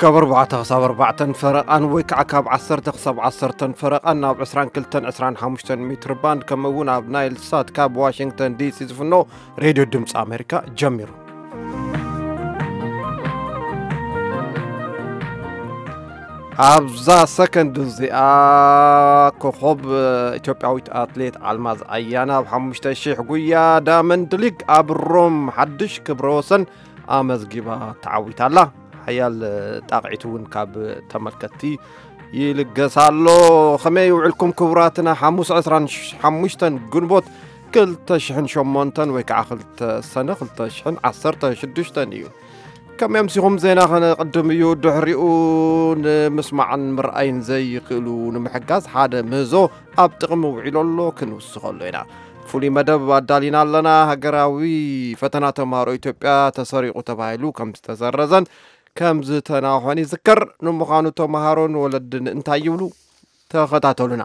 ካብ ኣርባዕተ ክሳብ ኣርባዕተን ፈረቓን ወይ ከዓ ካብ ዓሰርተ ክሳብ ዓሰርተን ፈረቓን ናብ ዕስራን ክልተን ዕስራን ሓሙሽተን ሜትር ባንድ፣ ከምኡ እውን ኣብ ናይል ሳት ካብ ዋሽንግተን ዲ ሲ ዝፍኖ ሬድዮ ድምፂ ኣሜሪካ ጀሚሩ። ኣብዛ ሰከንድ እዚኣ ኮኾብ ኢትዮጵያዊት ኣትሌት ኣልማዝ ኣያና ኣብ ሓሙሽተ ሺሕ ጉያ ዳመንድ ሊግ ኣብ ሮም ሓድሽ ክብረ ወሰን ኣመዝጊባ ተዓዊታ ኣላ። ሓያል ጣቕዒት እውን ካብ ተመልከትቲ ይልገስ ኣሎ። ከመይ ውዕልኩም ክቡራትና? ሓሙስ ዕስራን ሓሙሽተን ግንቦት ክልተ ሽሕን ሸሞንተን ወይ ከዓ ክልተ ሰነ ክልተ ሽሕን ዓሰርተ ሽዱሽተን እዩ። ከም ኤምሲኹም ዜና ከነቕድም እዩ። ድሕሪኡ ንምስማዕን ምርኣይን ዘይክእሉ ንምሕጋዝ ሓደ ምህዞ ኣብ ጥቕሚ ውዒሉ ኣሎ፣ ክንውስኸሉ ኢና። ፍሉይ መደብ ኣዳሊና ኣለና። ሃገራዊ ፈተና ተምሃሮ ኢትዮጵያ ተሰሪቑ ተባሂሉ ከም ዝተሰረዘን ከም ዝተናውሐን ይዝከር። ንምዃኑ ተምሃሮን ወለድን እንታይ ይብሉ? ተኸታተሉና።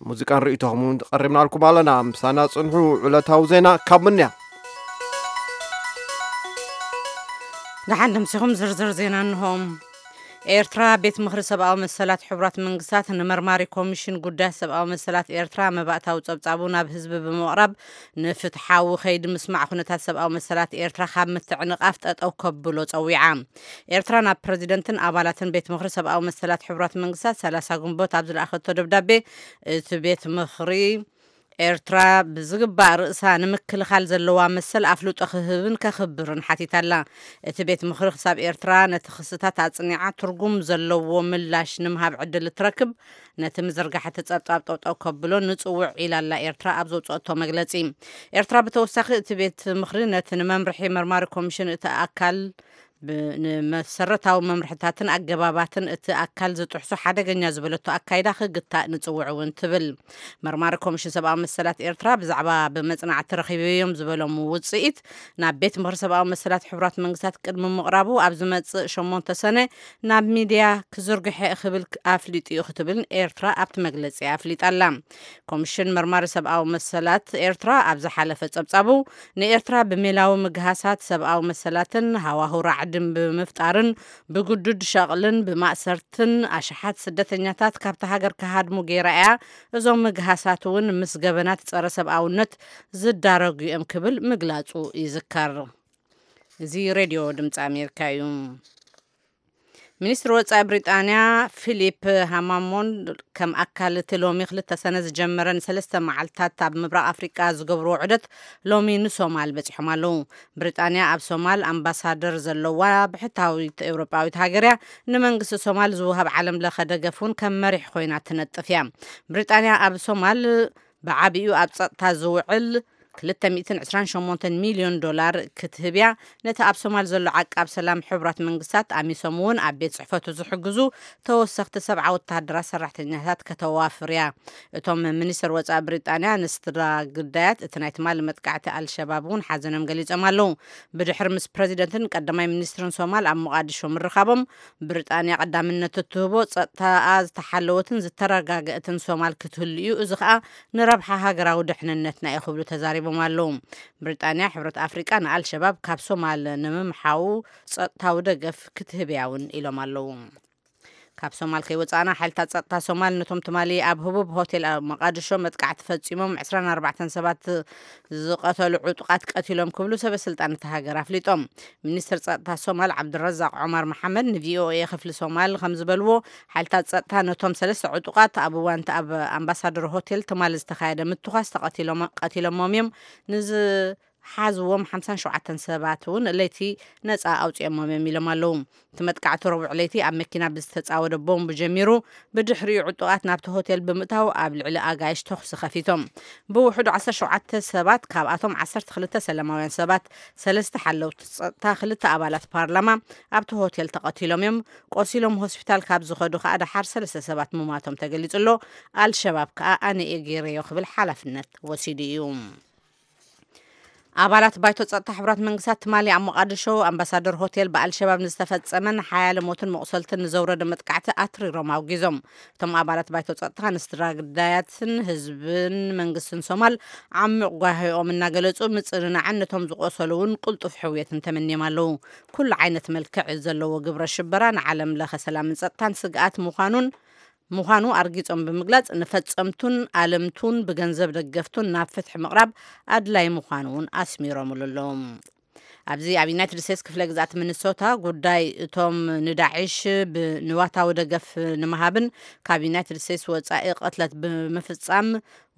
ሙዚቃን ርእይቶኹም እውን ቀሪብናልኩም ኣለና። ምሳና ጽንሑ። ዕለታዊ ዜና ካብ ምንያ። ደሓን ደምሲኹም ዝርዝር ዜና እንሆ። ኤርትራ፣ ቤት ምኽሪ ሰብኣዊ መሰላት ሕቡራት መንግስታት ንመርማሪ ኮሚሽን ጉዳያት ሰብኣዊ መሰላት ኤርትራ መባእታዊ ጸብጻቡ ናብ ህዝቢ ብምቕራብ፣ ንፍትሓዊ ከይዲ ምስማዕ ኩነታት ሰብኣዊ መሰላት ኤርትራ ካብ ምትዕንቓፍ ጠጠው ከብሎ ጸዊዓ። ኤርትራ ናብ ፕረዚደንትን ኣባላትን ቤት ምኽሪ ሰብኣዊ መሰላት ሕቡራት መንግስታት ሰላሳ ግንቦት ኣብ ዝለኣኸቶ ደብዳቤ፣ እቲ ቤት ምኽሪ ኤርትራ ብዝግባእ ርእሳ ንምክልኻል ዘለዋ መሰል ኣፍልጦ ክህብን ከኽብርን ሓቲታ ኣላ። እቲ ቤት ምኽሪ ክሳብ ኤርትራ ነቲ ክስታት ኣጽኒዓ ትርጉም ዘለዎ ምላሽ ንምሃብ ዕድል እትረክብ፣ ነቲ ምዝርጋሕ እቲ ጸብጻብ ጠውጠው ከብሎ ንጽውዕ ኢላ ኣላ ኤርትራ ኣብ ዘውጽኦቶ መግለጺ። ኤርትራ ብተወሳኺ እቲ ቤት ምኽሪ ነቲ ንመምርሒ መርማሪ ኮሚሽን እቲ ኣካል ብ-፣ ንመሰረታዊ መምርሕታትን ኣገባባትን እቲ ኣካል ዝጥሕሱ ሓደገኛ ዝበለቶ ኣካይዳ ክግታእ ንጽውዕ እውን ትብል። መርማሪ ኮሚሽን ሰብኣዊ መሰላት ኤርትራ ብዛዕባ ብመጽናዕቲ ረኺበዮም ዝበሎም ውጽኢት ናብ ቤት ምኽሪ ሰብኣዊ መሰላት ሕቡራት መንግስታት ቅድሚ ምቕራቡ ኣብ ዝመጽእ ሸሞንተ ሰነ ናብ ሚድያ ክዝርግሐ ክብል ኣፍሊጡ እዩ ክትብል ኤርትራ ኣብቲ መግለጺ ኣፍሊጣ ኣላ። ኮሚሽን መርማሪ ሰብኣዊ መሰላት ኤርትራ ኣብ ዝሓለፈ ጸብጻቡ ንኤርትራ ብሜላዊ ምግሃሳት ሰብኣዊ መሰላትን ሃዋህው ራዕድን ብምፍጣርን ብግዱድ ሸቕልን ብማእሰርትን ኣሽሓት ስደተኛታት ካብታ ሃገር ክሃድሙ ገይራ እያ። እዞም ምግሃሳት እውን ምስ ገበናት ጸረ ሰብኣውነት ዝዳረጉ እዮም ክብል ምግላጹ ይዝከር። እዚ ሬድዮ ድምፂ ኣሜሪካ እዩ። ሚኒስትሪ ወጻኢ ብሪጣንያ ፊሊፕ ሃማሞንድ ከም ኣካል እቲ ሎሚ ክልተ ሰነ ዝጀመረ ንሰለስተ መዓልታት ኣብ ምብራቕ ኣፍሪቃ ዝገብርዎ ዑደት ሎሚ ንሶማል በጺሖም ኣለዉ። ብሪጣንያ ኣብ ሶማል ኣምባሳደር ዘለዋ ብሕታዊት ኤውሮጳዊት ሃገር እያ። ንመንግስቲ ሶማል ዝወሃብ ዓለም ለኸ ደገፍ እውን ከም መሪሕ ኮይና ትነጥፍ እያ። ብሪጣንያ ኣብ ሶማል ብዓቢኡ ኣብ ጸጥታ ዝውዕል ክልተ ሚእትን ዕስራን ሸሞንተን ሚልዮን ዶላር ክትህብ እያ። ነቲ ኣብ ሶማል ዘሎ ዓቃብ ሰላም ሕቡራት መንግስታት ኣሚሶም እውን ኣብ ቤት ጽሕፈቱ ዝሕግዙ ተወሰኽቲ ሰብዓ ወተሃደራት ሰራሕተኛታት ከተዋፍር እያ። እቶም ሚኒስትር ወጻኢ ብሪጣንያ ንስድራ ግዳያት እቲ ናይ ትማሊ መጥቃዕቲ ኣልሸባብ እውን ሓዘኖም ገሊጾም ኣለዉ። ብድሕሪ ምስ ፕረዚደንትን ቀዳማይ ሚኒስትርን ሶማል ኣብ ሞቓዲሾ ምርኻቦም፣ ብሪጣንያ ቀዳምነት እትህቦ ጸጥታኣ ዝተሓለወትን ዝተረጋገእትን ሶማል ክትህሉ እዩ፣ እዚ ኸኣ ንረብሓ ሃገራዊ ድሕንነትና እዩ ክብሉ ተዛሪቦም ኣለዉ። ብሪጣንያ ሕብረት ኣፍሪቃ ንኣልሸባብ ካብ ሶማል ንምምሓዉ ጸጥታዊ ደገፍ ክትህብ እያ እውን ኢሎም ኣለዉ። ካብ ሶማል ከይወጻእና፣ ሓይልታት ጸጥታ ሶማል ነቶም ትማሊ ኣብ ህቡብ ሆቴል ኣብ መቃድሾ መጥቃዕቲ ፈጺሞም ዕስራን ኣርባዕተን ሰባት ዝቐተሉ ዕጡቓት ቀቲሎም ክብሉ ሰበ ስልጣን እታ ሃገር ኣፍሊጦም። ሚኒስትር ጸጥታ ሶማል ዓብድረዛቅ ዑማር መሓመድ ንቪኦኤ ክፍሊ ሶማል ከም ዝበልዎ፣ ሓይልታት ጸጥታ ነቶም ሰለስተ ዕጡቓት ኣብ እዋን እቲ ኣብ ኣምባሳደር ሆቴል ትማሊ ዝተኻየደ ምትኳስ ተቐቲሎም-፣ ቀቲሎሞም እዮም። ንዝ-፣ ሓዝዎም ሓምሳን ሸውዓተን ሰባት እውን ለይቲ ነጻ ኣውጺኦሞም እዮም ኢሎም ኣለዉ። እቲ መጥቃዕቲ ረቡዕ ለይቲ ኣብ መኪና ብዝተጻወደ ቦምብ ጀሚሩ፣ ብድሕሪኡ ዕጡቓት ናብቲ ሆቴል ብምእታው ኣብ ልዕሊ ኣጋይሽ ተኹሲ ከፊቶም። ብውሕዱ ዓሰርተ ሸውዓተ ሰባት፣ ካብኣቶም ዓሰርተ ክልተ ሰላማውያን ሰባት፣ ሰለስተ ሓለውቲ ጸጥታ፣ ክልተ ኣባላት ፓርላማ ኣብቲ ሆቴል ተቐቲሎም እዮም። ቆሲሎም ሆስፒታል ካብ ዝኸዱ ከኣ ደሓር ሰለስተ ሰባት ምሟቶም ተገሊጹ ኣሎ። ኣልሸባብ ከኣ ኣነ እየ ገይረዮ ክብል ሓላፍነት ወሲዱ እዩ። ኣባላት ባይቶ ጸጥታ ሕቡራት መንግስታት ትማሊ ኣብ ሞቓድሾ ኣምባሳደር ሆቴል ብኣልሸባብ ንዝተፈጸመን ሓያለ ሞትን መቑሰልትን ንዘውረደ መጥቃዕቲ ኣትሪሮም ኣውጊዞም። እቶም ኣባላት ባይቶ ጸጥታ ንስድራ ግዳያትን ህዝብን መንግስትን ሶማል ዓሚቕ ጓሂኦም እናገለጹ፣ ምጽንናዕን ነቶም ዝቖሰሉ እውን ቅልጡፍ ሕውየትን ተመንዮም ኣለዉ። ኩሉ ዓይነት መልክዕ ዘለዎ ግብረ ሽበራ ንዓለም ለኸ ሰላምን ጸጥታን ስግኣት ምዃኑን ምዃኑ ኣርጊጾም ብምግላጽ፣ ንፈጸምቱን ኣለምቱን ብገንዘብ ደገፍቱን ናብ ፍትሒ ምቕራብ ኣድላይ ምዃኑ እውን ኣስሚሮምሉ ኣለዉ። ኣብዚ ኣብ ዩናይትድ ስቴትስ ክፍለ ግዝኣት ሚኒሶታ፣ ጉዳይ እቶም ንዳዕሽ ብ-፣ ንዋታዊ ደገፍ ንምሃብን ካብ ዩናይትድ ስቴትስ ወጻኢ ቅትለት ብምፍጻም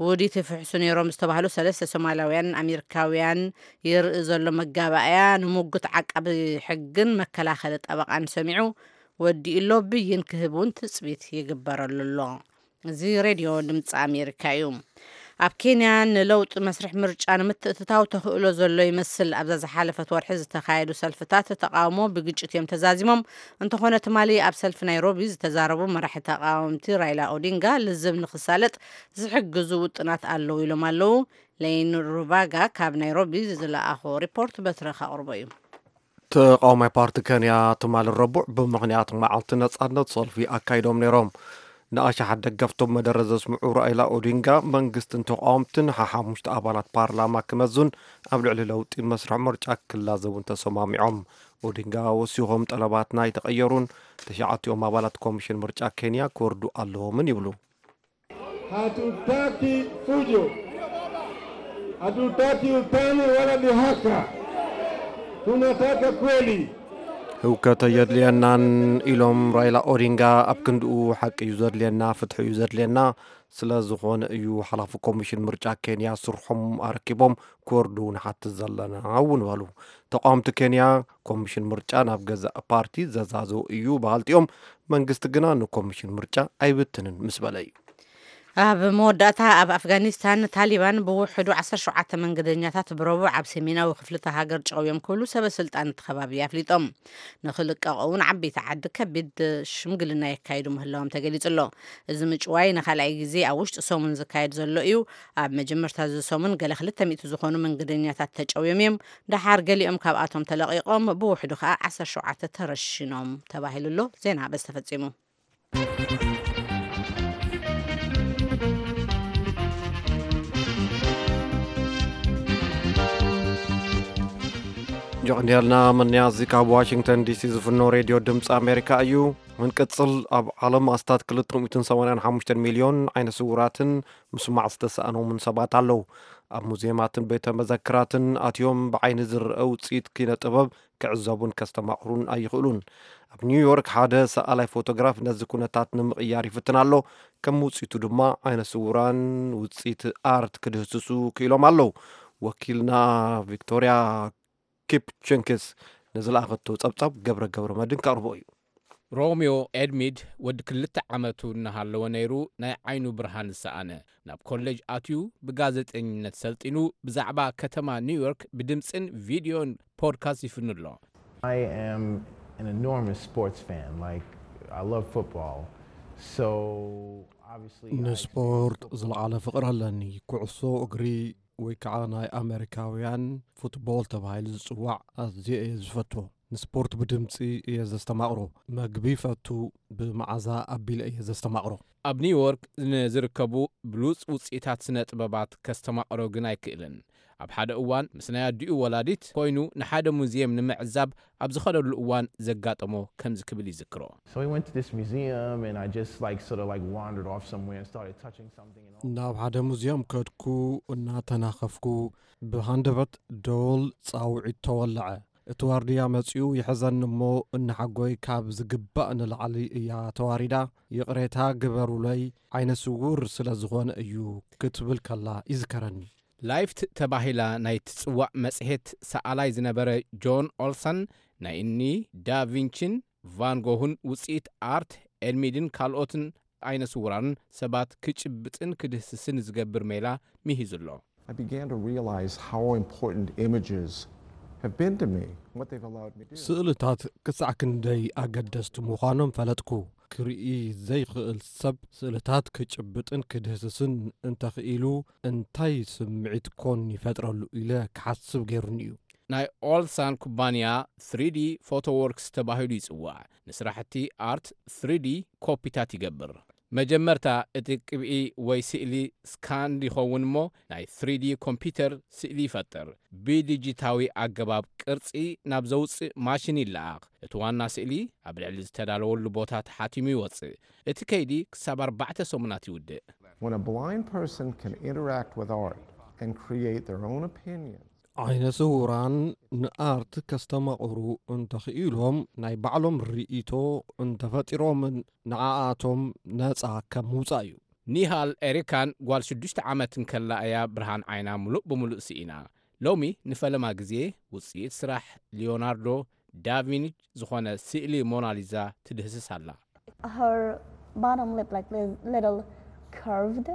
ውዲት ይፍሕሱ ነይሮም ዝተባህሉ ሰለስተ ሶማላውያን ኣሜሪካውያን የርኢ ዘሎ መጋባእያ፣ ንሙጉት ዓቃቢ ሕግን መከላኸሊ ጠበቓን ሰሚዑ ወዲኡ ኣሎ። ብይን ክህብ እውን ትጽቢት ይግበረሉ ኣሎ። እዚ ሬድዮ ድምፂ ኣሜሪካ እዩ። ኣብ ኬንያ ንለውጢ መስርሕ ምርጫ ንምትእትታው ተኽእሎ ዘሎ ይመስል። ኣብዛ ዝሓለፈት ወርሒ ዝተኻየዱ ሰልፍታት ተቃውሞ ብግጭት እዮም ተዛዚሞም። እንተኾነ፣ ትማሊ ኣብ ሰልፊ ናይሮቢ ዝተዛረቡ መራሒ ተቃወምቲ ራይላ ኦዲንጋ፣ ልዝብ ንክሳለጥ ዝሕግዙ ውጥናት ኣለዉ ኢሎም ኣለዉ። ሌን ሩባጋ ካብ ናይሮቢ ዝለኣኾ ሪፖርት በትረ ከቕርቦ እዩ። ተቃዋማይ ፓርቲ ኬንያ ትማሊ ረቡዕ ብምኽንያት መዓልቲ ነጻነት ሰልፊ ኣካይዶም ነይሮም። ንኣሽሓት ደገፍቶም መደረ ዘስምዑ ራኢላ ኦዲንጋ መንግስትን ተቃወምትን ሓሓሙሽተ ኣባላት ፓርላማ ክመዙን ኣብ ልዕሊ ለውጢ መስርሕ ምርጫ ክላዘቡን ተሰማሚዖም። ኦዲንጋ ወሲኾም፣ ጠለባት ናይ ተቐየሩን ተሽዓቲኦም ኣባላት ኮሚሽን ምርጫ ኬንያ ክወርዱ ኣለዎምን ይብሉ። Hatutaki fujo, hatutaki utani wala dhihaka. Tunataka kweli. ህውከት ኣየድልየናን ኢሎም ራይላ ኦዲንጋ። ኣብ ክንድኡ፣ ሓቂ እዩ ዘድልየና፣ ፍትሒ እዩ ዘድልየና። ስለ ዝኾነ እዩ ሓላፊ ኮሚሽን ምርጫ ኬንያ ስርሖም ኣረኪቦም ክወርዱ ንሓትት ዘለና እውን በሉ። ተቃወምቲ ኬንያ፣ ኮሚሽን ምርጫ ናብ ገዛእ ፓርቲ ዘዛዘው እዩ በሃልቲ እዮም። መንግስቲ ግና ንኮሚሽን ምርጫ ኣይብትንን ምስ በለ እዩ። ኣብ መወዳእታ፣ ኣብ ኣፍጋኒስታን ታሊባን ብውሕዱ ዓሰርተ ሸውዓተ መንገደኛታት ብረቡዕ ኣብ ሰሜናዊ ክፍሊ እታ ሃገር ጨውዮም ክብሉ ሰበ ስልጣን እቲ ከባቢ ኣፍሊጦም። ንኽልቀቑ እውን ዓበይቲ ዓዲ ከቢድ ሽምግልና የካይዱ ምህላዎም ተገሊጹ ኣሎ። እዚ ምጭዋይ ንኻልኣይ ግዜ ኣብ ውሽጢ ሰሙን ዝካየድ ዘሎ እዩ። ኣብ መጀመርታ እዚ ሰሙን ገለ ክልተ ሚእቲ ዝኾኑ መንገደኛታት ተጨውዮም እዮም። ደሓር ገሊኦም ካብኣቶም ተለቒቖም፣ ብውሕዱ ከኣ ዓሰርተ ሸውዓተ ተረሺኖም ተባሂሉ ኣሎ። ዜና በዚ ተፈጺሙ። ጆቕንያልና መንያዚ ካብ ዋሽንግተን ዲሲ ዝፍኖ ሬድዮ ድምፂ ኣሜሪካ እዩ። ምንቅፅል፣ ኣብ ዓለም ኣስታት ክልተ ሚእትን ሰማንያን ሓሙሽተን ሚልዮን ዓይነ ስውራትን ምስማዕ ዝተሰኣኖምን ሰባት ኣለዉ። ኣብ ሙዚየማትን ቤተ መዘክራትን ኣትዮም ብዓይኒ ዝረአ ውፅኢት ኪነ ጥበብ ክዕዘቡን ከስተማቕሩን ኣይኽእሉን። ኣብ ኒውዮርክ ሓደ ሰኣላይ ፎቶግራፍ ነዚ ኩነታት ንምቕያር ይፍትን ኣሎ። ከም ውፅኢቱ ድማ ዓይነ ስውራን ውፅኢት ኣርት ክድህስሱ ክኢሎም ኣለዉ። ወኪልና ቪክቶርያ ኪፕ ቸንክስ ንዝለኣኸቶ ጸብጻብ ገብረ ገብረ መድን ከቕርቦ እዩ። ሮሚዮ ኤድሚድ ወዲ ክልተ ዓመቱ እናሃለወ ነይሩ ናይ ዓይኑ ብርሃን ዝሰኣነ። ናብ ኮሌጅ ኣትዩ ብጋዜጠኝነት ሰልጢኑ ብዛዕባ ከተማ ኒውዮርክ ብድምፅን ቪድዮን ፖድካስት ይፍኑ ኣሎ። I am an enormous sports fan. Like, I love football. So, obviously, I ንስፖርት ዝለዓለ ፍቕሪ ኣለኒ። ኩዕሶ እግሪ ወይ ከዓ ናይ ኣመሪካውያን ፉትቦል ተባሂሉ ዝፅዋዕ ኣዝየ እየ ዝፈትዎ። ንስፖርት ብድምፂ እየ ዘስተማቕሮ። መግቢ ይፈቱ፣ ብመዓዛ ኣቢለ እየ ዘስተማቕሮ። ኣብ ኒውዮርክ ንዝርከቡ ብሉጽ ውጽኢታት ስነ ጥበባት ከስተማቕሮ ግን ኣይክእልን። ኣብ ሓደ እዋን ምስ ናይ ኣዲኡ ወላዲት ኮይኑ ንሓደ ሙዚየም ንምዕዛብ ኣብ ዝኸደሉ እዋን ዘጋጠሞ ከምዚ ክብል ይዝክሮ። So we went to this museum, and I just like sort of like wandered off somewhere and started touching something. And all ናብ ሓደ ሙዚየም ከድኩ፣ እናተናኸፍኩ፣ ብሃንደበት ደወል ጻውዒት ተወለዐ። እቲ ዋርድያ መጺኡ ይሕዘኒ እሞ፣ እናሓጎይ ካብ ዝግባእ ንላዕሊ እያ ተዋሪዳ። ይቕሬታ ግበሩለይ፣ ዓይነ ስውር ስለ ዝኾነ እዩ ክትብል ከላ ይዝከረኒ። ላይፍት ተባሂላ ናይ ትጽዋዕ መጽሔት ሰኣላይ ዝነበረ ጆን ኦልሰን፣ ናይ እኒ ዳቪንቺን ቫንጎሁን ውጽኢት ኣርት፣ ኤልሚድን ካልኦትን ዓይነ ስውራን ሰባት ክጭብጥን ክድህስስን ዝገብር ሜላ ምሂዙ ኣሎ። I began to realize how important images have been to me, what they've allowed me to do. ስእልታት ክሳዕ ክንደይ ኣገደስቲ ምዃኖም ፈለጥኩ። ክርኢ ዘይኽእል ሰብ ስእልታት ክጭብጥን ክድህስስን እንተኽኢሉ እንታይ ስምዒት ኮን ይፈጥረሉ ኢለ ክሓስብ ገይሩኒ እዩ። ናይ ኦልሳን ኩባንያ ስሪ ዲ ፎቶወርክስ ተባሂሉ ይጽዋዕ። ንስራሕቲ ኣርት ስሪ ዲ ኮፒታት ይገብር። መጀመርታ እቲ ቅብኢ ወይ ስእሊ ስካን ይኸውን እሞ ናይ ስሪ ዲ ኮምፒውተር ስእሊ ይፈጥር። ብዲጂታዊ ኣገባብ ቅርጺ ናብ ዘውጽእ ማሽን ይለኣኽ። እቲ ዋና ስእሊ ኣብ ልዕሊ ዝተዳለወሉ ቦታ ተሓቲሙ ይወጽእ። እቲ ከይዲ ክሳብ ኣርባዕተ ሰሙናት ይውድእ። When a blind person can interact with art and create their own opinions, ዓይነ ስውራን ንኣርት ከስተማቕሩ እንተኽኢሎም ናይ ባዕሎም ርእይቶ እንተፈጢሮምን ንዓኣቶም ነጻ ከም ምውጻእ እዩ። ኒሃል ኤሪካን ጓል ሽዱሽተ ዓመት እንከላ እያ ብርሃን ዓይና ምሉእ ብምሉእ ስኢና። ሎሚ ንፈለማ ግዜ ውጽኢት ስራሕ ሊዮናርዶ ዳቪንች ዝኾነ ስእሊ ሞናሊዛ ትድህስስ ኣላ። Her bottom lip, like, li- little curved.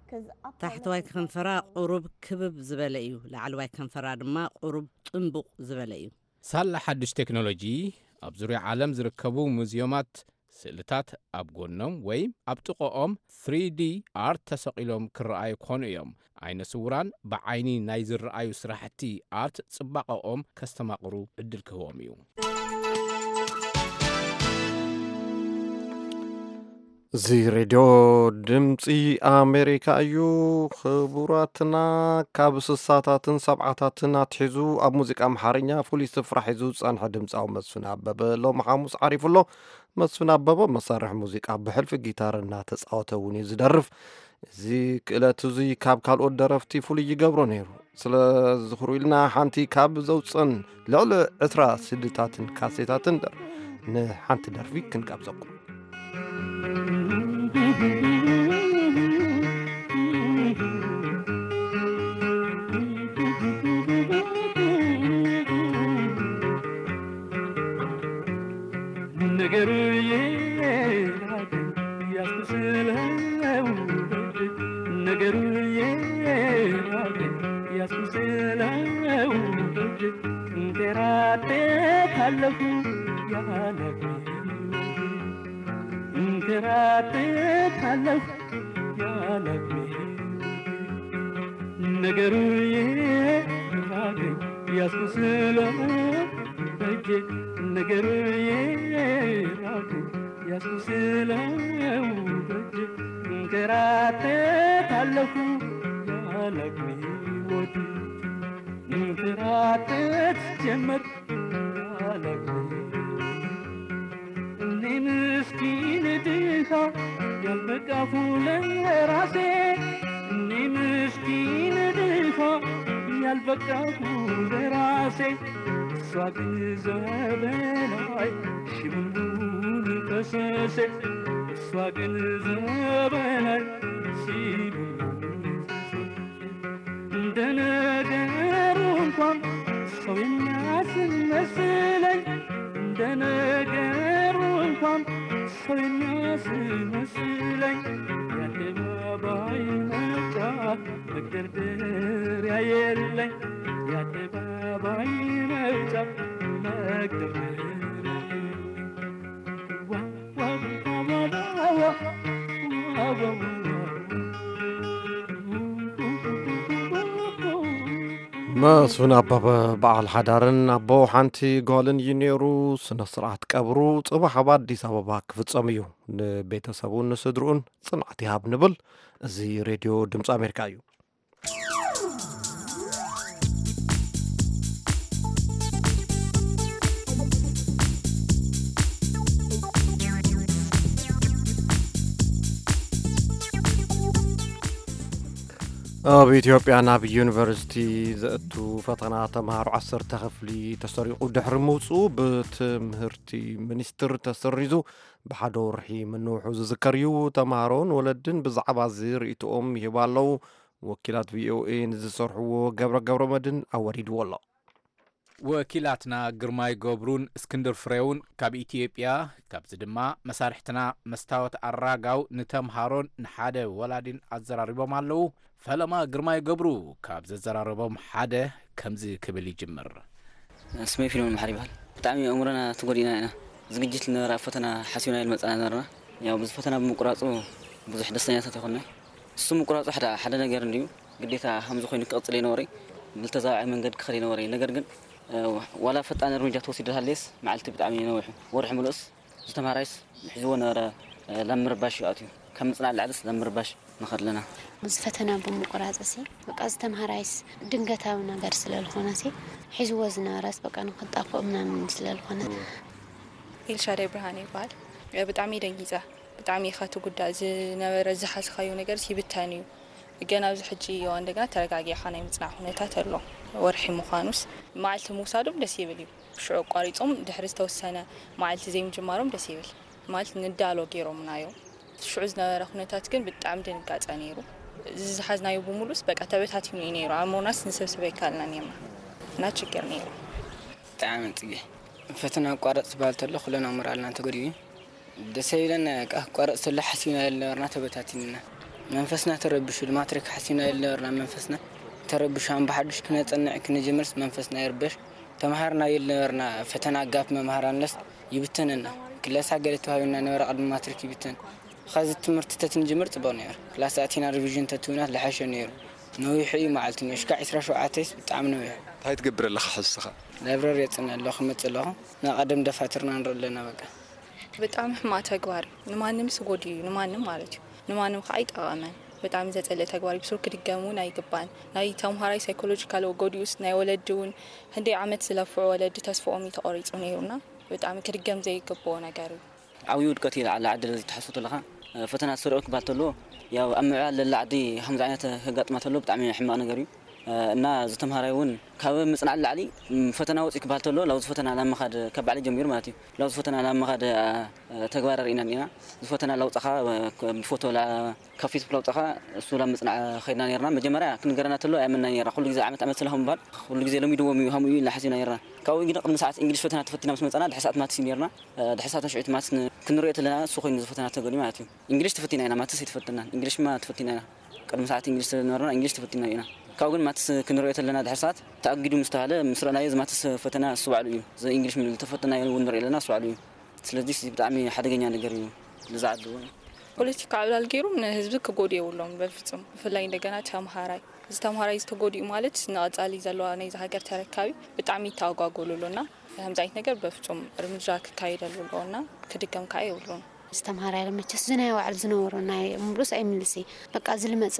'Cause upper ታሕተዋይ lip is ከንፈራ ቁሩብ ክብብ ዝበለ እዩ። ላዕለዋይ ከንፈራ ድማ ቁሩብ ጥንቡቕ ዝበለ እዩ። ሳላ ሓድሽ ቴክኖሎጂ ኣብ ዙርያ ዓለም ዝርከቡ ሙዚዮማት ስእልታት ኣብ ጎኖም ወይ ኣብ ጥቕኦም ስሪ ዲ ኣርት ተሰቒሎም ክረኣዩ ክኾኑ እዮም። ዓይነ ስውራን ብዓይኒ ናይ ዝረኣዩ ስራሕቲ ኣርት ጽባቐኦም ከስተማቕሩ ዕድል ክህቦም እዩ። እዚ ሬድዮ ድምፂ ኣሜሪካ እዩ። ክቡራትና፣ ካብ ስሳታትን ሰብዓታትን ኣትሒዙ ኣብ ሙዚቃ ኣምሓርኛ ፍሉይ ስፍራ ሒዙ ዝፀንሐ ድምፃዊ መስፍን ኣበበ ሎሚ ሓሙስ ዓሪፉ ኣሎ። መስፍን ኣበበ መሳርሒ ሙዚቃ ብሕልፊ ጊታር እናተፃወተ እውን እዩ ዝደርፍ። እዚ ክእለት እዙይ ካብ ካልኦት ደረፍቲ ፍሉይ ይገብሮ ነይሩ። ስለ ዝኽሩ ኢልና ሓንቲ ካብ ዘውፅን ልዕሊ ዕስራ ስድታትን ካሴታትን ደር ንሓንቲ ደርፊ ክንጋብዘኩም። ነገሩ የራቀኝ ያስመስለው በእጅ፣ ነገሩ የራቀኝ ያስመስለው በእጅ፣ እንከራተታለሁ ያላግባብ እንከራተታለሁ ያላግባብ። ነገሩ የራቀኝ ያስመስለው በእጅ፣ ነገሩ የራቀኝ ያስመስለው በእጅ፣ እንከራተታለሁ ያላግባብ ወዲህ እንከራተት ጀመር ያላግባብ። እኔ ምስኪን ድሃ ያልበቃሁ ለራሴ፣ እኔ ምስኪን ድሃ ያልበቃሁ ለራሴ፣ እሷ ግን ዘበናይ ሽምንቡን ፈሰሴ፣ እሷ ግን ዘበናይ ሽምንቡን ፈሰሴ። እንደ ነገሩ እንኳን ሰው የሚያስመስለኝ፣ እንደ ነገሩ እንኳን ሰው የሚያስመስለኝ፣ የአደባባይ መውጫ መግደርደሪያ የለኝ፣ የአደባባይ መውጫ መግደርደሪያ የለኝ። መስፍን ኣበበ በዓል ሓዳርን ኣቦ ሓንቲ ጓልን እዩ ነይሩ። ስነ ስርዓት ቀብሩ ጽባሕ ኣብ ኣዲስ ኣበባ ክፍጸም እዩ። ንቤተሰቡን ንስድርኡን ጽንዓት ይሃብ ንብል። እዚ ሬድዮ ድምፂ ኣሜሪካ እዩ። ኣብ ኢትዮጵያ ናብ ዩኒቨርሲቲ ዘእቱ ፈተና ተምሃሮ ዓሰርተ ክፍሊ ተሰሪቑ ድሕሪ ምውፅኡ ብትምህርቲ ሚኒስትር ተሰሪዙ ብሓደ ወርሒ ምንውሑ ዝዝከር እዩ። ተምሃሮን ወለድን ብዛዕባ እዚ ርእይቶኦም ይህቡ ኣለዉ። ወኪላት ቪኦኤ ንዝሰርሕዎ ገብረ ገብረ መድን ኣወሪድዎ ኣሎ። ወኪላትና ግርማይ ገብሩን እስክንድር ፍሬውን ካብ ኢትዮጵያ፣ ካብዚ ድማ መሳርሕትና መስታወት ኣራጋው ንተምሃሮን ንሓደ ወላዲን ኣዘራሪቦም ኣለዉ። ፈለማ ግርማይ ገብሩ ካብ ዘዘራረቦም ሓደ ከምዚ ክብል ይጅምር። ስመይ ፊልሞን መሓሪ ይበሃል። ብጣዕሚ ኣእምሮና ተጎዲእና ኢና። ዝግጅት ዝነበረ ኣብ ፈተና ሓሲብና ኢል መጻና ነበርና። ያው ብዙ ፈተና ብምቁራጹ ብዙሕ ደስተኛታት ይኮንና። እሱ ምቁራጹ ሓደ ሓደ ነገር እንዲዩ፣ ግዴታ ከምዚ ኮይኑ ክቕጽል ይነበረ። ብልተዛዋዒ መንገዲ ክኸድ ይነበረ። ነገር ግን ዋላ ፈጣን እርምጃ ተወሲዱ ሃለየስ መዓልቲ ብጣዕሚ ነዊሑ፣ ወርሒ ምሉእስ ዝተምሃራይስ ሒዝዎ ነበረ። ላብ ምርባሽ እዩ ኣትዩ፣ ከም ምጽናዕ ላዕልስ ላብ ምርባሽ ንኸድ ኣለና። እዚ ፈተና ብምቁራጽ ሲ በቃ ዝተምሃራይስ ድንገታዊ ነገር ስለ ዝኾነ ሲ ሒዝዎ ዝነበረስ በቃ ንክጣፍኦ ምናምን ስለ ዝኾነ። ኤልሻዳይ ብርሃነ ይበሃል። ብጣዕሚ ደንጊጸ። ብጣዕሚ ኢኻ ትጉዳእ። ዝነበረ ዝሓዝኻዮ ነገርስ ይብተን እዩ። ገና ኣብዚ ሕጂ እዋን እንደገና ተረጋጊዕኻ ናይ ምጽናዕ ኩነታት ኣሎ። ወርሒ ምዃኑስ መዓልቲ ምውሳዶም ደስ ይብል እዩ። ሽዑ ኣቋሪጾም ድሕሪ ዝተወሰነ መዓልቲ ዘይምጅማሮም ደስ ይብል። ማለት ንዳሎ ገይሮምና እዮም። ሽዑ ዝነበረ ኩነታት ግን ብጣዕሚ ድንጋጸ ነይሩ። እዚ ዝሓዝናዮ ብምሉስ በቃ ተበታቲኑ እዩ ነይሩ። ኣእምሮናስ ንሰብስብ ኣይከኣልናን እዮም እና ችግር ነይሩ። ብጣዕሚ ጽጌ ፈተና ኣቋረጽ ዝበሃል ተሎ ኩለና ሞራልና ተጎዲኡ እዩ። ደስ ኣይብለና በቃ ክቋረጽ ተሎ ሓሲብና የልነበርና ተበታቲንና መንፈስና ተረቢሹ ማትሪክ ሓሲብና የልነበርና መንፈስና ተረቢሹ ኣምባሓዱሽ ክነጸንዕ ክንጅምርስ መንፈስና ይርበሽ ተምሃርና የልነበርና ፈተና ጋፕ መምሃራንለስ ይብተነና ክለሳ ገለ ተዋሂብና ነበረ ቅድሚ ማትሪክ ይብተን ኸዚ ትምህርቲ ተትንጅምር ጽቡቅ ነይሩ ክላስ ኣቲና ሪቪዥን ተትህብና ለሓሸ ነይሩ ነዊሑ እዩ መዓልቲ ነሽካ ዕስራ ሸውዓተ ይስ ብጣዕሚ ነዊሑ እንታይ ትገብር ኣለኻ ሕዝኻ ላይብረሪ የጽንዕ ኣለኹ ክመጽእ ኣለኹ ናይ ቀደም ደፋትርና ንርኢ ኣለና በቃ ብጣዕሚ ሕማቅ ተግባር እዩ። ንማንም ስጎዲ እዩ ንማንም ማለት እዩ። ንማንም ከዓ ኣይጠቐመን። ብጣዕሚ ዘፀልእ ተግባር እዩ። ብሱሩ ክድገም እውን ኣይግባን። ናይ ተምሃራይ ሳይኮሎጂካል ጎዲኡስ ናይ ወለዲ እውን ህንደይ ዓመት ዝለፍዑ ወለዲ ተስፍኦም እዩ ተቆሪፁ ነይሩና ብጣዕሚ ክድገም ዘይግብኦ ነገር እዩ። ዓብዩ ውድቀት እዩ ለዓለ ዓዲ ለዚ ተሓስቦ ተለኻ ፈተና ዝሰሪዑ ክበሃል ተሎ ያው ኣብ ምዕባል ለላ ዓዲ ከምዚ ዓይነት ከጋጥማ ተሎ ብጣዕሚ ሕማቕ ነገር እዩ። እና እዚ ተምሃራይ እውን ካብ ምፅናዕ ንላዕሊ ፈተና ወፂኡ ክበሃል ተሎ ላብዚ ፈተና ናብ ምኻድ ካብ ባዕለይ ጀሚሩ ማለት እዩ ላብዚ ፈተና ናብ ምኻድ ተግባር ርኢና ኒና እዚ ፈተና ላውፃኻ ብፎቶ ካብ ፌስቡክ ላውፃኻ እሱ ላብ ምፅናዕ ኸይድና ነርና መጀመርያ ክንገረና ተሎ ኣያመና ነርና ኩሉ ግዜ ዓመት ዓመት ስለኹ ምባል ኩሉ ግዜ ለሚድዎም እዩ ከምኡ እዩ ኢልና ሓሲብና ነርና ካብኡ ግን ቅድሚ ሰዓት እንግሊሽ ፈተና ተፈቲና ምስ መፃና ድሕሪ ሰዓት ማትስ እዩ ነርና ድሕሪ ሰዓት ሽዑ ማትስ ክንሪኦ ተለና እሱ ኮይኑ ዝፈተና ተገሊ ማለት እዩ እንግሊሽ ተፈቲና ኢና ማትስ ኣይተፈተናን እንግሊሽማ ተፈቲና ኢና ቅድሚ ሰዓት እንግሊሽ ስለዝነበረና እንግሊሽ ተፈቲና ኢና። ካብኡ ግን ማትስ ክንሪኦ ተለና ድሕሪ ሰዓት ተኣጊዱ ምስ ተባህለ ምስ ረእናዮ እዚ ማትስ ፈተና እሱ ባዕሉ እዩ። እዚ እንግሊሽ ዝተፈተናዮ እውን ንርኢ ኣለና እሱ ባዕሉ እዩ። ስለዚ እዚ ብጣዕሚ ሓደገኛ ነገር እዩ። ነዚ ዓዲ እውን። ፖለቲካ ዕብላል ገይሮም ንህዝቢ ክጎድኡ የብሎም በፍፁም። ብፍላይ እንደገና ተምሃራይ። እዚ ተምሃራይ እዚ ተጎዲኡ ማለት ንቐፃሊ ዘለዋ ናይዚ ሃገር ተረካቢ ብጣዕሚ ይተኣጓጎሉ ኣሎ እና ከምዚ ዓይነት ነገር በፍፁም እርምጃ ክካየደሉ ኣለዎ እና ክድገም ከዓ የብሉን። ዝተምሃራይ መቸስ እዚ ናይ ባዕሉ ዝነበሮ ናይ ምሉስ ኣይምልስ እዩ በቃ እዚ ልመፀ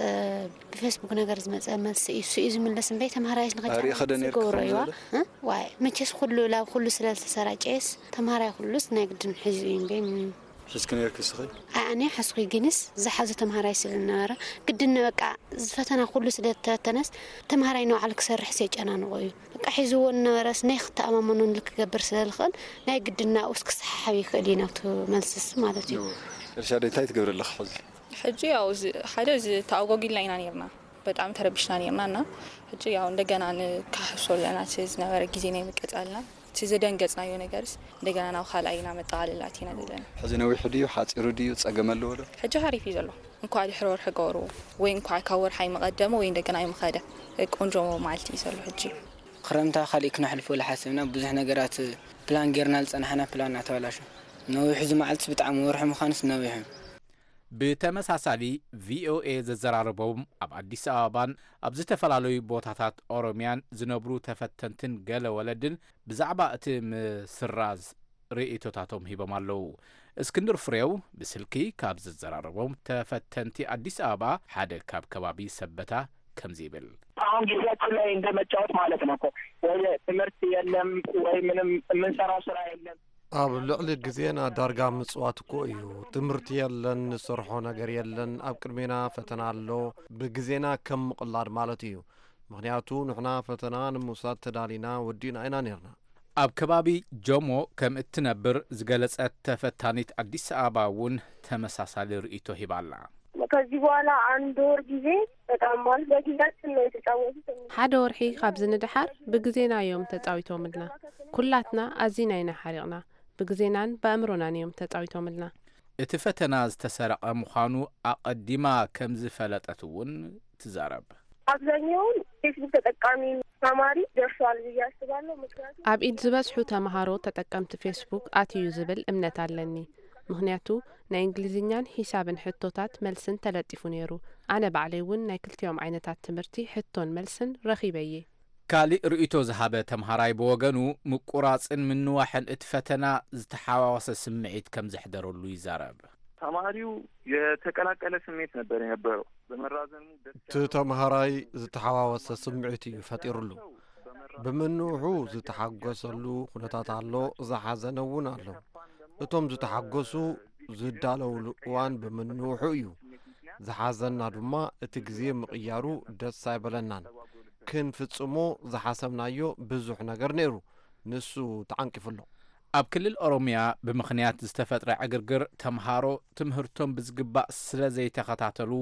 ብፌስቡክ ነገር ዝመፀ መልሲ እዩ እሱ እዩ ዝምልስ እምበይ ተምሃራይስ ንኸጫ ኣሪእኻ ዶ ነርኪ ዝገብሮ ከምዚ እዩዋ ዝበለ? እ? ዋይ መቸስ ኩሉ ላብ ኩሉ ስለ ዝተሰራጨየስ ተምሃራይ ኩሉስ ናይ ግድን ሒዙ እዩ እምበይ ም- ሒዝኪ ነርኪ እስኺ? ኣይ ኣነ ሓስኹ ግንስ ዝሓዞ ተምሃራይ ስለ ዝነበረ ግድን በቃ እዚ ፈተና ኩሉ ስለ ዝተበተነስ ተምሃራይ ንባዕሉ ክሰርሕስ የጨናንቖ እዩ በቃ ሒዝዎ ዝነበረስ ናይ ክተኣማመነሉ ክገብር ስለ ዝኽእል ናይ ግድን ናብኡስ ክሰሓሓብ ይኽእል እዩ ናብቲ መልስስ ማለት እዩ። ኤልሻዳይ እንታይ ትገብሪ ኣለኺ ሕዚ? ሕጂ ያው እዚ ሓደ እዚ ተኣጓጒልና ኢና ኔርና በጣም ተረቢሽና ኔርና እና ሕጂ ያው እንደገና ንካሕሶ ኣለና እቲ ዝነበረ ግዜ ናይ ምቅጻልና እቲ ዘደንገጽናዮ ነገርስ እንደገና ናብ ካልኣይ ኢና መጠቓለሊ ኣቲና ዘለና። ሕዚ ነዊሑ ድዩ ሓጺሩ ድዩ ጸገም ኣለዎ ዶ? ሕጂ ሓሪፍ እዩ ዘሎ። እንኳዕ ድሕሪ ወርሒ ገበርዎ ወይ እንኳዕ ካብ ወርሒ ኣይምቐደመ ወይ እንደገና ኣይምኸደ። ቆንጆ መዓልቲ እዩ ዘሎ ሕጂ። ክረምታ ካሊእ ክነሕልፎ ዝሓሰብና ብዙሕ ነገራት ፕላን ጌርና ዝጸናሕና ፕላንና ተበላሾ። ነዊሑ እዚ መዓልትስ ብጣዕሚ ወርሒ ምዃኑስ ነዊሑ። ብተመሳሳሊ ቪኦኤ ዘዘራረቦም ኣብ ኣዲስ ኣበባን ኣብ ዝተፈላለዩ ቦታታት ኦሮምያን ዝነብሩ ተፈተንትን ገለ ወለድን ብዛዕባ እቲ ምስራዝ ርእይቶታቶም ሂቦም ኣለዉ። እስክንድር ፍሬው ብስልኪ ካብ ዘዘራረቦም ተፈተንቲ ኣዲስ ኣበባ ሓደ ካብ ከባቢ ሰበታ ከምዚ ይብል። አሁን ጊዜያችን ላይ እንደመጫወት ማለት ነው እኮ። ወይ ትምህርት የለም ወይ ምንም የምንሰራው ስራ የለም። ኣብ ልዕሊ ግዜና ዳርጋ ምጽዋት እኮ እዩ። ትምህርቲ የለን፣ ንሰርሖ ነገር የለን። ኣብ ቅድሜና ፈተና ኣሎ። ብግዜና ከም ምቕላድ ማለት እዩ። ምኽንያቱ ንሕና ፈተና ንምውሳድ ተዳሊና ወዲእና ኢና ኔርና። ኣብ ከባቢ ጆሞ ከም እትነብር ዝገለጸት ተፈታኒት ኣዲስ ኣበባ እውን ተመሳሳሊ ርእይቶ ሂባ ኣላ። ከዚህ በኋላ አንድ ወር ጊዜ በጣም ማለት በጊዜያችን ነው የተጫወቱት። ሓደ ወርሒ ካብዚ ንደሓር ብግዜና እዮም ተጻዊቶምልና። ኩላትና ኣዚና ኢና ሓሪቕና። ብግዜናን ብኣእምሮናን እዮም ተጻዊቶምልና። እቲ ፈተና ዝተሰረቐ ምዃኑ ኣቐዲማ ከም ዝፈለጠት እውን ትዛረብ። አብዛኛውን ፌስቡክ ተጠቃሚ ተማሪ ደርሷል ብዬ አስባለሁ። ምክንያቱም ኣብ ኢድ ዝበዝሑ ተምሃሮ ተጠቀምቲ ፌስቡክ ኣትዩ ዝብል እምነት ኣለኒ። ምኽንያቱ ናይ እንግሊዝኛን ሒሳብን ሕቶታት መልስን ተለጢፉ ነይሩ። ኣነ ባዕለይ እውን ናይ ክልቲኦም ዓይነታት ትምህርቲ ሕቶን መልስን ረኺበ እየ። ካሊእ ርእይቶ ዝሃበ ተምሃራይ ብወገኑ፣ ምቁራጽን ምንዋሕን እቲ ፈተና ዝተሓዋወሰ ስምዒት ከም ዘሕደረሉ ይዛረብ። ተማሪው የተቀላቀለ ስሜት ነበር የነበረው። በመራዘሙ ደስ እቲ ተምሃራይ ዝተሓዋወሰ ስምዒት እዩ ፈጢሩሉ። ብምንውሑ ዝተሓጎሰሉ ኩነታት ኣሎ፣ ዝሓዘነ እውን ኣሎ። እቶም ዝተሓጎሱ ዝዳለውሉ እዋን ብምንውሑ እዩ። ዝሓዘና ድማ እቲ ግዜ ምቕያሩ ደስ ኣይበለናን። ክንፍጽሞ ዝሓሰብናዮ ብዙሕ ነገር ነይሩ፣ ንሱ ተዓንቂፉ ኣሎ። ኣብ ክልል ኦሮምያ ብምኽንያት ዝተፈጥረ ዕግርግር፣ ተምሃሮ ትምህርቶም ብዝግባእ ስለ ዘይተኸታተሉ፣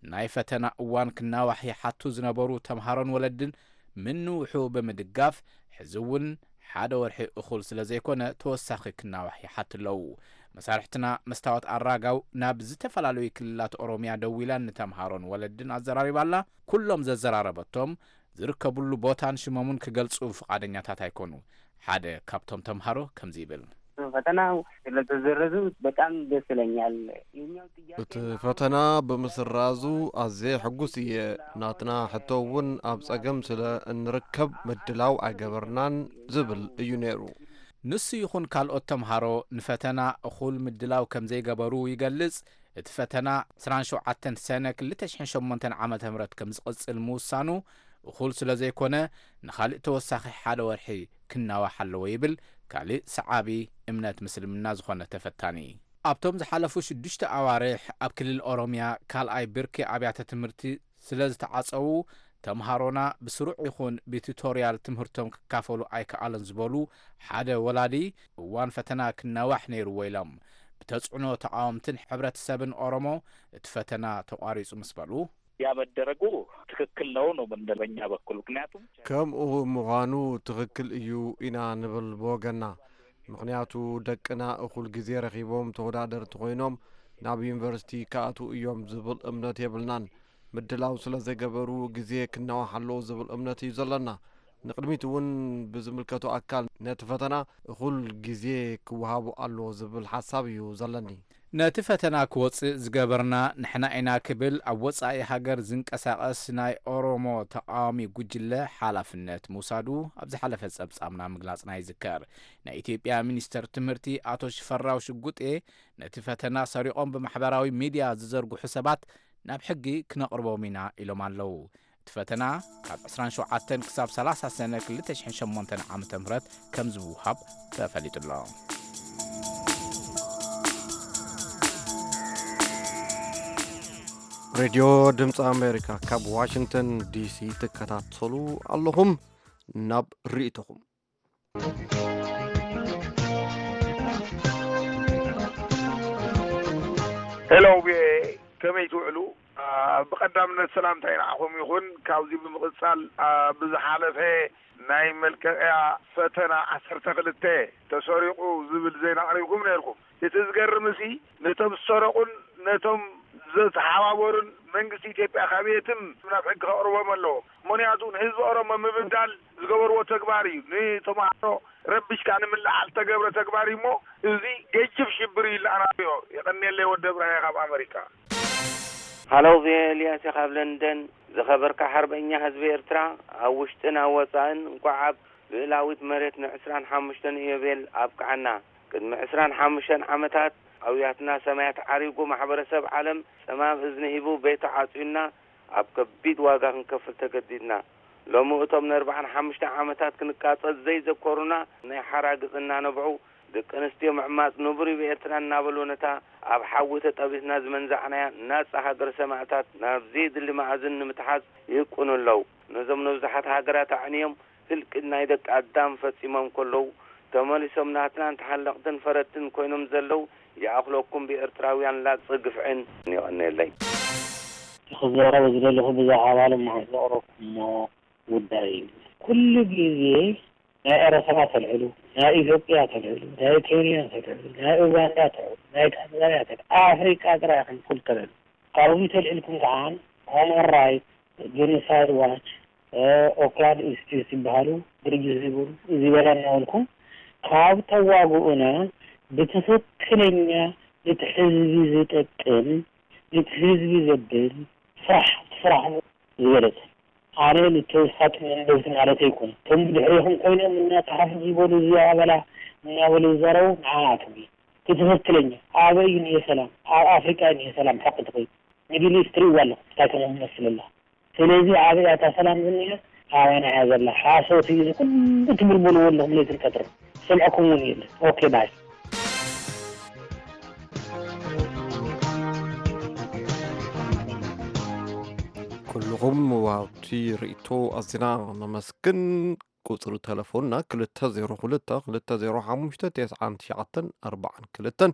ናይ ፈተና እዋን ክናዋሕ ይሓቱ ዝነበሩ ተምሃሮን ወለድን ምንውሑ ብምድጋፍ፣ ሕዚ እውን ሓደ ወርሒ እኹል ስለ ዘይኮነ፣ ተወሳኺ ክናዋሕ ይሓቱ ኣለዉ። መሳርሕትና መስታወት ኣራጋው ናብ ዝተፈላለዩ ክልላት ኦሮምያ ደዊላን ንተምሃሮን ወለድን ኣዘራሪባ ኣላ። ኩሎም ዘዘራረበቶም ዝርከብሉ ቦታን ሽሞምን ክገልጹ ፍቓደኛታት ኣይኮኑ። ሓደ ካብቶም ተምሃሮ ከምዚ ይብል። ፈተናው ስለተሰረዙ በጣም ደስ ይለኛል። የኛው ጥያቄ እቲ ፈተና ብምስራዙ ኣዝየ ሕጉስ እየ። ናትና ሕቶ እውን ኣብ ጸገም ስለ እንርከብ ምድላው ኣይገበርናን ዝብል እዩ ነይሩ። ንሱ ይኹን ካልኦት ተምሃሮ ንፈተና እኹል ምድላው ከም ዘይገበሩ ይገልጽ። እቲ ፈተና ዕስራን ሸውዓተን ሰነ ክልተ ሽሕን ሸሞንተን ዓመተ ምህረት ከም ዝቕጽል ምውሳኑ እኹል ስለ ዘይኮነ፣ ንኻልእ ተወሳኺ ሓደ ወርሒ ክናዋሕ ኣለዎ ይብል ካሊእ ሰዓቢ እምነት ምስልምና ዝኾነ ተፈታኒ። ኣብቶም ዝሓለፉ ሽዱሽተ ኣዋርሕ ኣብ ክልል ኦሮምያ ካልኣይ ብርኪ ኣብያተ ትምህርቲ ስለ ዝተዓጸዉ፣ ተምሃሮና ብስሩዕ ይኹን ብቱቶርያል ትምህርቶም ክካፈሉ ኣይከኣሉን ዝበሉ ሓደ ወላዲ፣ እዋን ፈተና ክናዋሕ ነይርዎ ኢሎም። ብተጽዕኖ ተቓወምትን ሕብረተሰብን ኦሮሞ እቲ ፈተና ተቋሪጹ ምስ በሉ፣ ያ መደረጉ ትክክል ነው ነው የምንለው በእኛ በኩል። ምክንያቱም ከምኡ ምዃኑ ትኽክል እዩ ኢና ንብል ብወገና። ምኽንያቱ ደቅና እኹል ግዜ ረኺቦም ተወዳደርቲ ኮይኖም ናብ ዩኒቨርሲቲ ክኣትዉ እዮም ዝብል እምነት የብልናን። ምድላው ስለ ዘይገበሩ ግዜ ክናዋሕ ኣለዎ ዝብል እምነት እዩ ዘለና። ንቕድሚት እውን ብዝምልከቶ ኣካል ነቲ ፈተና እኹል ግዜ ክወሃቡ ኣለዎ ዝብል ሓሳብ እዩ ዘለኒ። ነቲ ፈተና ክወጽእ ዝገበርና ንሕና ኢና ክብል ኣብ ወጻኢ ሃገር ዝንቀሳቐስ ናይ ኦሮሞ ተቓዋሚ ጉጅለ ሓላፍነት ምውሳዱ ኣብ ዝሓለፈ ጸብጻብና ምግላጽና ይዝከር። ናይ ኢትዮጵያ ሚኒስተር ትምህርቲ ኣቶ ሽፈራው ሽጉጤ ነቲ ፈተና ሰሪቖም ብማሕበራዊ ሚድያ ዝዘርግሑ ሰባት ናብ ሕጊ ክነቕርቦም ኢና ኢሎም ኣለዉ። እቲ ፈተና ካብ ዕስራን ሸውዓተን ክሳብ ሰላሳ ሰነ ክልተ ሽሕን ሸሞንተን ዓመተ ምህረት ከም ዝውሃብ ተፈሊጡ ኣሎ። ሬድዮ ድምፂ ኣሜሪካ ካብ ዋሽንግተን ዲሲ ትከታተሉ ኣለኹም። ናብ ርእይቶኹም። ሄሎ ቪኦኤ፣ ከመይ ትውዕሉ? ብቐዳምነት ሰላምታይ ንዓኹም ይኹን። ካብዚ ብምቕጻል፣ ብዝሓለፈ ናይ መልቀቕያ ፈተና ዓሰርተ ክልተ ተሰሪቑ ዝብል ዜና ኣቕሪብኩም ነይርኩም። እቲ ዝገርምሲ፣ ነቶም ዝሰረቑን ነቶም ዝተሓባበሩን መንግስቲ ኢትዮጵያ ካብ የትም ናብ ሕጊ ከቕርቦም ኣለዎ። ምኽንያቱ ንህዝቢ ኦሮሞ ምብዳል ዝገበርዎ ተግባር እዩ። ንተምሃሮ ረቢሽካ ንምልዓል ዝተገብረ ተግባር እዩ እሞ፣ እዚ ገጅፍ ሽብር እዩ ኢልና ኢና ንሪኦ። የቐንየለይ ወዲ እብራሂም ካብ ኣመሪካ። ሃሎ ቪኦኤ፣ ኤልያስ እየ ካብ ለንደን። ዝኸበርካ ሓርበኛ ህዝቢ ኤርትራ፣ ኣብ ውሽጥን ኣብ ወጻእን፣ እንቋዕ ኣብ ልኡላዊት መሬት ንዕስራን ሓሙሽተን ኢዮቤል ኣብቅዓና። ቅድሚ ዕስራን ሓሙሽተን ዓመታት ኣውያትና ሰማያት ዓሪጉ፣ ማሕበረሰብ ዓለም ጸማም እዝኒ ሂቡ ቤቱ ዓጽዩና፣ ኣብ ከቢድ ዋጋ ክንከፍል ተገዲድና። ሎሚ እቶም ንኣርብዓን ሓሙሽተ ዓመታት ክንቃጸል ዘይዘከሩና ናይ ሓራግጽ እናነብዑ፣ ደቂ ኣንስትዮ ምዕማጽ ንቡር እዩ ብኤርትራ እናበሉ፣ ነታ ኣብ ሓዊ ተጠቢስና ዝመንዛዕናያ ናጻ ሃገረ ሰማእታት ናብ ዘየድሊ መኣዝን ንምትሓዝ ይህቅኑ ኣለዉ። ነዞም ንብዙሓት ሃገራት ኣዕንዮም ህልቂት ናይ ደቂ ኣዳም ፈጺሞም ከለዉ፣ ተመሊሶም ናትናን ተሓለቕትን ፈረድትን ኮይኖም ዘለዉ ይኣኽለኩም ብኤርትራውያን ላግጺ ግፍዕን። የቐንየለይ። ክዛረቦ ዝደለኹ ብዛዕባ ሎማዓንቲ ዘቕረብኩሞ ጉዳይ እዩ። ኩሉ ግዜ ናይ ኤረትራ ተልዕሉ፣ ናይ ኢትዮጵያ ተልዕሉ፣ ናይ ኬንያ ተልዕሉ፣ ናይ ኡጋንዳ ተልዕሉ፣ ናይ ታንዛንያ ተልዕሉ፣ ኣፍሪቃ ጥራይ ኢኹም ኩሉ ተልዕሉ። ካብዚ ተልዒልኩም ከኣ ሆመን ራይት ጀኖሳይድ ዋች፣ ኦክላንድ ኢንስቲትዩት ዝበሃሉ ድርጅት ዝበሉ ዝበላ እናበልኩም ካብ ተዋግኡና ብትኽክለኛ ነቲ ህዝቢ ዝጠቅም ነቲ ህዝቢ ዘብል ስራሕ ስራሕ ዝበለጸ። ኣነ ንተውሳጥ መንበብቲ ማለት ኣይኮን። እቶም ብድሕሪኹም ኮይኖም እናተሓፉ ዝበሉ እዚ ኣበላ እናበሉ ዝዛረቡ ንዓኣቶም እዩ። እቲ ትኽክለኛ ኣበይ እዩ ሰላም? ኣብ ኣፍሪቃ እዩ ሰላም ሓቂ ትኾይ። ሚድል ኢስት ትሪእዋ ኣለኹም እንታይ ከም መስለላ። ስለዚ ኣበይ እያ እታ ሰላም ዝኒኣ? ኣባና እያ ዘላ። ሓሶት እዩ እዚ ኩሉ ትብልብልዎ ኣለኹም ለይትን ቀትርን። ዝሰምዐኩም እውን የለን። ኦኬ ባይ። ኩልኹም ወሃብቲ ርእይቶ ኣዚና ነመስግን። ቁጽሪ ተለፎንና ክልተ ዜሮ ክልተ ክልተ ዜሮ ሓሙሽተ ተስዓን ትሽዓተን ኣርባዓን ክልተን፣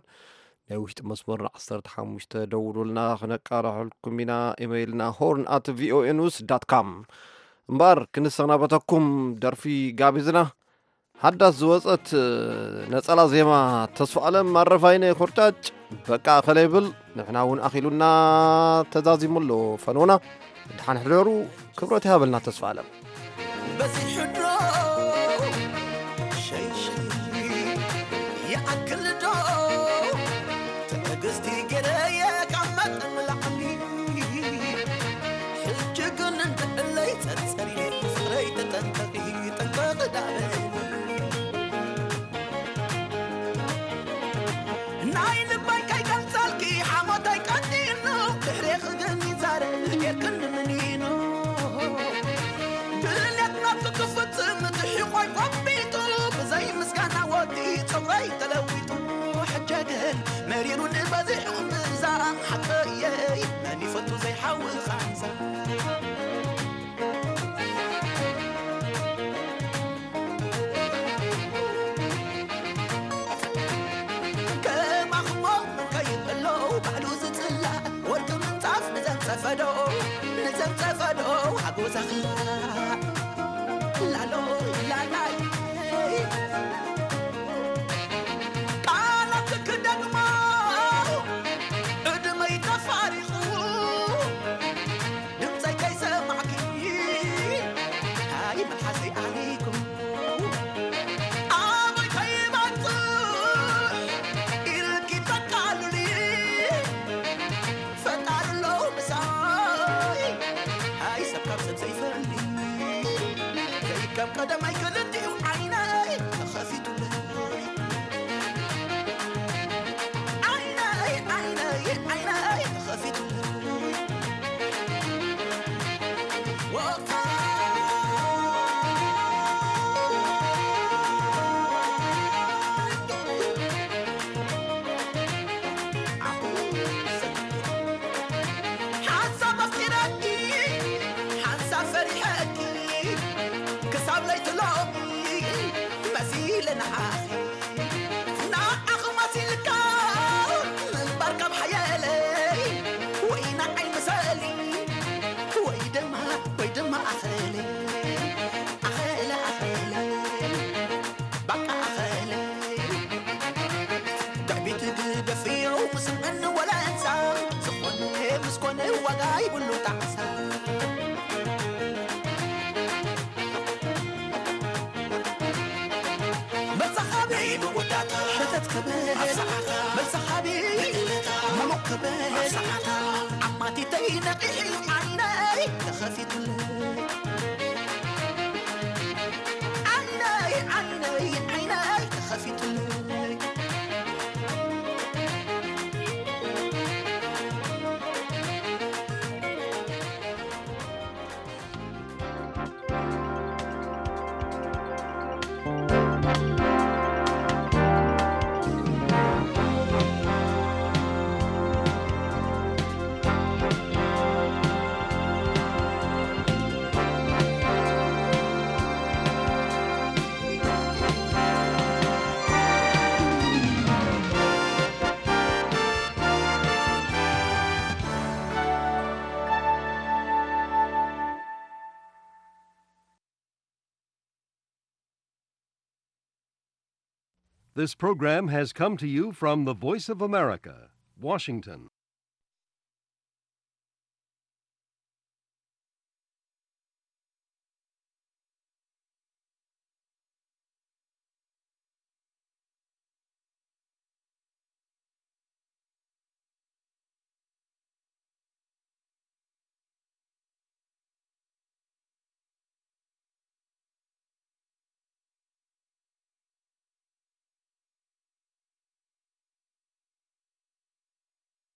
ናይ ውሽጢ መስመርና ዓሰርተ ሓሙሽተ ደውሉልና ክነቃርሐልኩም ኢና። ኢመይልና ሆርን ኣት ቪኦኤ ኒውስ ዳት ካም። እምበኣር ክንሰናበተኩም ደርፊ ጋቢዝና። ሓዳስ ዝወጸት ነጸላ ዜማ ተስፋ ኣለም ኣረፋይነ ኮርጫጭ በቃ ከለ ይብል ንሕና እውን ኣኺሉና ተዛዚሙ ኣሎ ፈኖና። ደሓን ሕደሩ። ክብረት ይሃበልና ተስፋ ኣለም። በዚሑ ዶ ሸይሸይ ይኣክል ዶ ትዕግስቲ ገይረ የቀመጥ ንላዕሊ ሕጂ ግን እንድዕለይ ጸርጸሪ ፍቕረይ ተጠንቀቂ ጠንቀቂ ዳበኒ ናይ ልበይ ከይገልጸልኪ ሓሞተይ ቀጢኑ ድሕሬኺ ግን ይዛረብ ጌርክኒ ምኒኑ ድሌት ናቱ ክፍጽም ትሒቆይ ቆቢጡ ብዘይ ምስጋና ወዲ ጸጉረይ ተለዊጡ ሕጀ ግን መሪሩ ንበዚሑ እምብዛ ሓቀየይ መን ይፈቱ ዘይሓዊ ኻንዛ ከማኽሞ ከይበሎ ባዕሉ ዝጽላእ ወርቂ ምንጻፍ ንዘንጸፈዶ ንዘንጸፈዶ ኣጎዛኻ ላሎ ላላይ ቃላት ክደግሞ እድመይ ተፋሪቑ ድምፀይ ከይሰማዕኪ ሃይ መልሓሰይ ኣሊኩ ኣበይ ከይበፅሕ ኢልኪ ተቃሉሊ ፈጣሪ ኣሎ ምሳይ ሃይ ሰብ ካብ ሰብ ዘይፈሊ ዘይከም ቀደማይ ክልቲኡ ዓይነይ ተኸፊቱለይ ዓይነይ ዓይነይ ዓይነይ ተኸፊቱለይ ሓንሳብ ኣፍቂረኪ ሓንሳብ ፈሪሐኪ ክሳብ ለይቲ ሎሚ መሲለ ንዓኺ ንዓኺ መሲልካ ምንባር ካብ ሓየለይ ወይ ንዓይ ምሰሊ ወይ ድማ ወይ ድማ ኣኸለ ኣኸለ ኣኸለ ባቃ ኣኸለ ትዕቢት ግደፍዮ ምስምዕኒ ወለንሳ ዝኾነ ምስኮነ ዋጋ ይብሉ ጣዕሳ መሳኻቢ መወዳእታ ሸተት ክብል ኣብ ሰዓታ መሳኻቢ ምሉእ ክብል ኣብ ሰዓታ ዓማቲተይ ነቒሒ ዓይነይ ተኸፊቱለይ ዓይነይ ዓይነይ ዓይነይ ተኸፊቱለይ This program has come to you from the Voice of America, Washington.